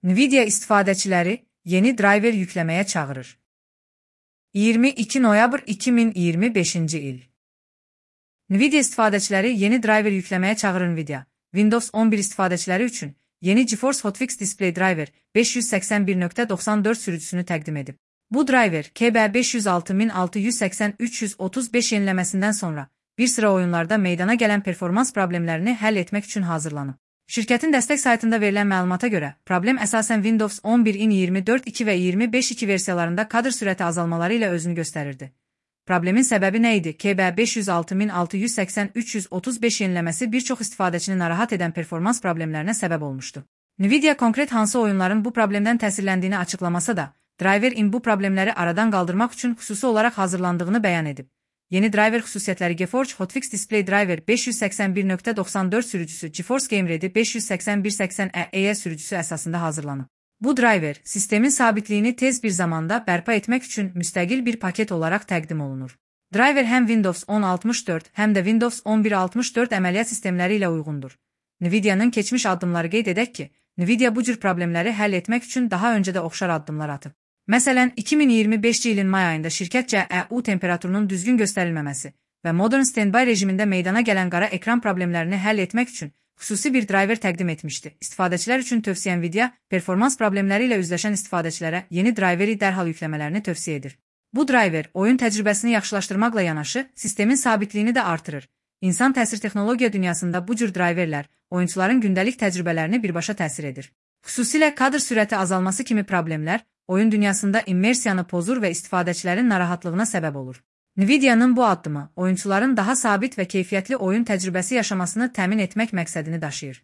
Nvidia istifadəçiləri yeni driver yükləməyə çağırır. 22 noyabr 2025-ci il. Nvidia istifadəçiləri yeni driver yükləməyə çağırır. Nvidia, Windows 11 istifadəçiləri üçün yeni GeForce Hotfix Display Driver 581.94 sürücüsünü təqdim edib. Bu driver, KB506380-335 yeniləməsindən sonra bir sıra oyunlarda meydana gələn performans problemlərini həll etmək üçün hazırlanıb. Şirkətin dəstək saytında verilən məlumata görə, problem əsasən Windows 11-in 24.2 və 25.2 versiyalarında kadr sürəti azalmaları ilə özünü göstərirdi. Problemin səbəbi nə idi? KB506680-335 yeniləməsi bir çox istifadəçini narahat edən performans problemlərinə səbəb olmuşdu. Nvidia konkret hansı oyunların bu problemdən təsirləndiyini açıqlamasa da, driver-in bu problemləri aradan qaldırmaq üçün xüsusi olaraq hazırlandığını bəyan edib. Yeni driver xüsusiyyətləri GeForce Hotfix Display Driver 581.94 sürücüsü GeForce Game Ready 58180E sürücüsü əsasında hazırlanıb. Bu driver, sistemin sabitliyini tez bir zamanda bərpa etmək üçün müstəqil bir paket olaraq təqdim olunur. Driver həm Windows 10.64, həm də Windows 11.64 əməliyyat sistemləri ilə uyğundur. Nvidia'nın keçmiş addımları qeyd edək ki, Nvidia bu cür problemləri həll etmək üçün daha öncə də oxşar addımlar atıb. Məsələn, 2025-ci ilin may ayında şirkət CEU temperaturunun düzgün göstərilməməsi və Modern Standby rejimində meydana gələn qara ekran problemlərini həll etmək üçün xüsusi bir driver təqdim etmişdi. İstifadəçilər üçün tövsiyə Nvidia, performans problemləri ilə üzləşən istifadəçilərə yeni driveri dərhal yükləmələrini tövsiyə edir. Bu driver, oyun təcrübəsini yaxşılaşdırmaqla yanaşı, sistemin sabitliyini də artırır. İnsan təsir texnologiya dünyasında bu cür driverlər, oyunçuların gündəlik təcrübələrini birbaşa təsir edir. Xüsusilə kadr sürəti azalması kimi problemlər, oyun dünyasında immersiyanı pozur və istifadəçilərin narahatlığına səbəb olur. Nvidia'nın bu addımı, oyunçuların daha sabit və keyfiyyətli oyun təcrübəsi yaşamasını təmin etmək məqsədini daşıyır.